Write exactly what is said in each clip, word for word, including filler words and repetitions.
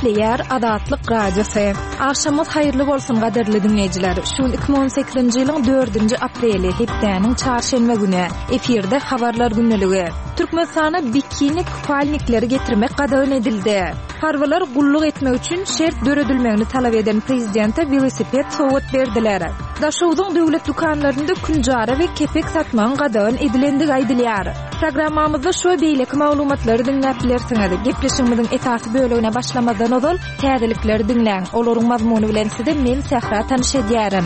Gepleýär Azatlyk Radiosy. Agşamyňyz haýyrly bolsun gadyrly diňleýjiler. Şu gün iki müň on sekizinji ýylyň dördünji apreli, hepdäniň çarşenbe güni. Efirde habarlar gündeligi. Türkmenistana bikini kupalnikleri getirmek gadagan edildi. Harbylar gulluk etmek üçin şert döredilmegini talap eden prezidente welosiped sowgat berdiler. Daşogzuň döwlet dükanlarynda künjara we kepek satmagyň gadagan edilendigi aýdylýar. Programmamyzda şu we beýleki maglumatlary diňläp bilersiňiz. Gepleşigimiziň esasy bölegine başlamazdan ozal täzelikleri diňläň. Olaryň mazmuny bilen sizi men Sähra tanyş edýärin.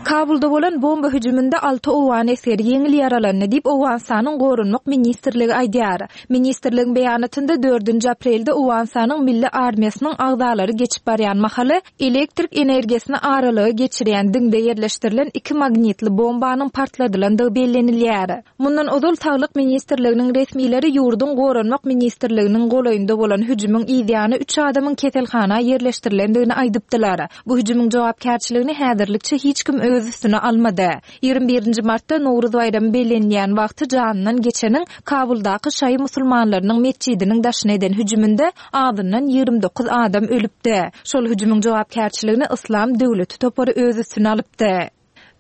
Kabulda bolan bomba hüjüminde alty owgan esgeri ýeňil ýaralandy diýip Owganystanyň Goranmak ministrligi aýdýar. Ministrligiň beýanatynda dördünji aprelde Owganystanyň Milli armiýasynyň agzalary geçip barýan mahaly elektrik energiýasyny aralyga geçirýän diňde ýerleşdirilen iki magnitli bombanyň partladylandygy bellenilýär. Mundan ozal Saglyk ministrliginiň resmileri ýurduň Goranmak ministrliginiň golaýynda bolan hüjümiň yzýany üç adamyň keselhana ýerleşdirilendigini aýdypdylar. Bu hüjümiň jogapkärçiligini häzirlikçe hiç kim öz üstüne almady. Ýigrimi birinji martda Nowruz baýramy bellenýän wagty janyndan geçeniň Kabuldaky şaýy musulmanlarynyň metjidiniň daşyna eden hüjüminde azyndan ýigrimi dokuz adam ölüpdi. Şol hüjümiň jogapkärçiligini Yslam döwleti topary öz üstüne alypdy.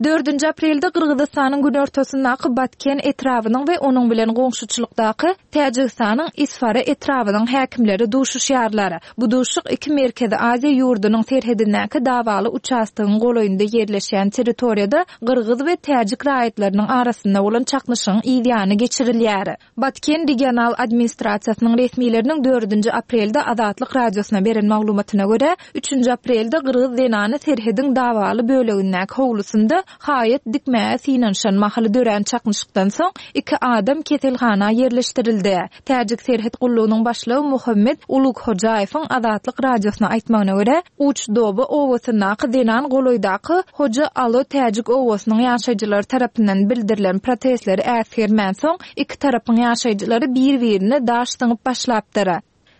Dördünji aprelde Gyrgyzystanyň günortasyndaky Batken etrabynyň we onuň bilen goňşuçylykdaky Täjigistanyň Isfara etrabynyň häkimleri duşuşýarlar. Bu duşuşyk iki Merkezi Aziýa ýurdunyň serhedindäki dawaly uçastogyň golaýynda ýerleşýän territoriýada gyrgyz we täjik raýatlarynyň arasynda bolan çaknyşygyň yzýany geçirilýär. Batken regional administrasiýasynyň resmileriniň dördünji aprelde Azatlyk radiosyna beren maglumatyna görä, üçünji aprelde gyrgyz zenany serhediň dawaly bölegindäki howlusynda haýat dikmäge synanyşan mahaly dörän çaknyşykdan soň iki adam keselhana ýerleşdirildi. Täjik serhet gullugynyň başlygy Muhammed Ulughojaýewiň Azatlyk radiosyna aýtmagyna görä, Uçdoba obasyndaky zenan golaýdaky Hoja Alo täjik obasynyň ýaşaýjylary tarapyndan bildirilen protestleri äsgermän soň iki tarapyň ýaşaýjylary bir-birine daş zyňyp başlapdyr.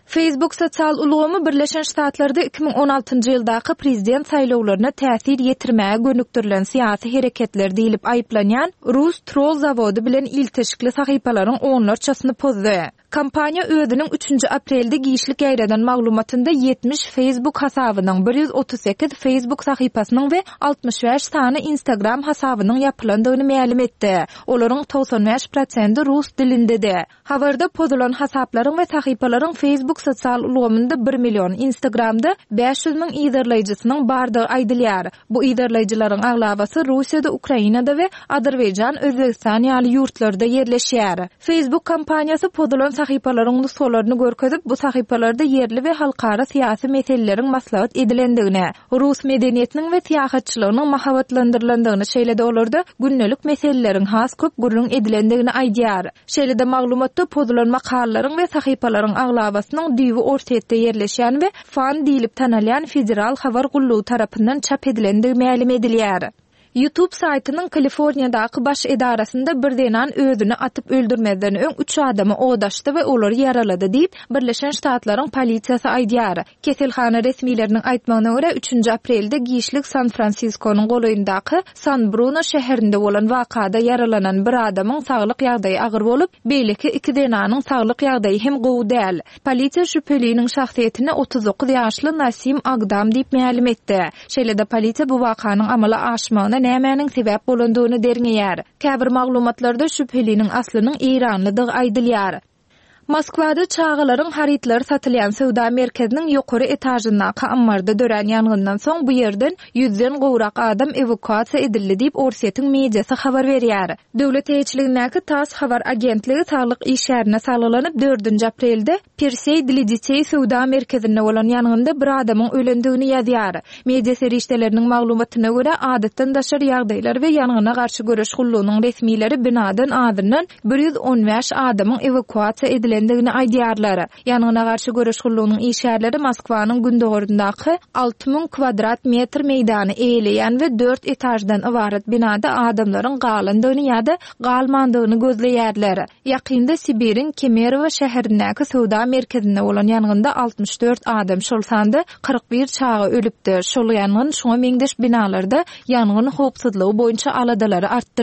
Facebook sosial ulgamy Birleşen Ştatlarda iki müň on altynjy ýyldaky prezident saýlawlaryna täsir ýetirmäge gönükdirilen syýasy hereketler diýlip aýyplanýan Rus troll zawody bilen ilteşikli sahypalaryň onlarçasyny pozdy. Kompaniýa özüniň üçünji aprelde giçlik ýaýradan maglumatynda ýetmiş Facebook hasabynyň, bir ýüz otuz sekiz Facebook sahypasynyň we altmyş bäş sany Instagram hasabynyň ýapylandygyny mälim etdi. Olaryň togsan bäş prosendi rus dilindedi. Habarda pozulan hasaplaryň we sahypalaryň Facebook sosial ulgamynda bir million, Instagramda bäş ýüz müň yzarlaýjysynyň bardygy aýdylýar. Bu yzarlaýjylaryň aglabasy Russiýada, Ukrainada we Azerbaýjan, Özbegistan ýaly ýurtlarda ýerleşýär. Facebook kompaniýasy pozulan sahypalaryň nusgalaryny görkezip, bu sahypalarda ýerli we halkara syýasy meseleleriň maslahat edilendigini, rus medeniýetiniň we syýahatçylygynyň mahabatlandyrylandygyny, şeýle-de olarda gündelik meseleleriň has köp gürrüň edilendigini aýdýar. Şeýle-de maglumatda pozulan makalalaryň we sahypalaryň aglabasynyň düýbi Orsýetde ýerleşýän we Fan diýlip tanalýan federal habar gullugy tarapyndan çap edilendigi mälim edilýär. YouTube saýtynyň Kaliforniýadaky baş edarasynda bir zenan özüni atyp öldürmezden öň üç adamy odaşdy we olary ýaralady diýip, Birleşen Ştatlaryň polisiýasy aýdýar. Keselhana resmileriniň aýtmagyna görä, üçünji aprelde giçlik San Fransiskonyň golaýyndaky San Bruno şäherinde bolan wakada ýaralanan bir adamyň saglyk ýagdaýy agyr bolup, beýleki iki zenanyň saglyk ýagdaýy hem gowy däl. Polisiýa şübheliniň şahsyýetini otuz dokuz ýaşly Nasim Agdam diýip mälim etdi. Şeýle-de polisiýa bu wakanyň amala aşmagyna nämäniň sebäp bolandygyny derňeýär. Käbir maglumatlarda şübheliniň aslynyň Eýranlydygy aýdylýar. Moskwada çagalaryň harytlary satylýan söwda merkeziniň ýokary etažyndaky ammarda dörän ýangyndan soň bu ýerden ýüzden gowrak adam ewakuasiýa edildi diýip Orsýetiň mediasy habar berýär. Döwlet eýeçiligindäki TASS habar agentligi saglyk işgärine salgylanyp dördünji aprelde Persey dla detей söwda merkezinde bolan ýangynda bir adamyň ölendigini ýazýar. Media serişdeleriniň maglumatyna görä adatdan daşary ýagdaýlar we ýangyna garşy göreş gullugynyň resmileri binadan azyndan bir ýüz on bäş adamyň ewakuasiýa edilendigini aýdýarlar. Ýangyna garşy göreş gullugynyň işgärleri Moskwanyň gündogaryndaky alty müň kvadrat metr meýdany eýeleýän we dört etaždan ybarat binada adamlaryň galandygyny ýa-da galmandygyny gözleýärler. Ýakynda Sibiriň Kemerowo şäherindäki söwda merkezinde bolan ýangynda altmyş dört adam, şol sanda kyrk bir çaga ölüpdi. Şol ýangyn şoňa meňzeş binalarda ýangyn howpsuzlygy boýunça aladalary artdyrdy.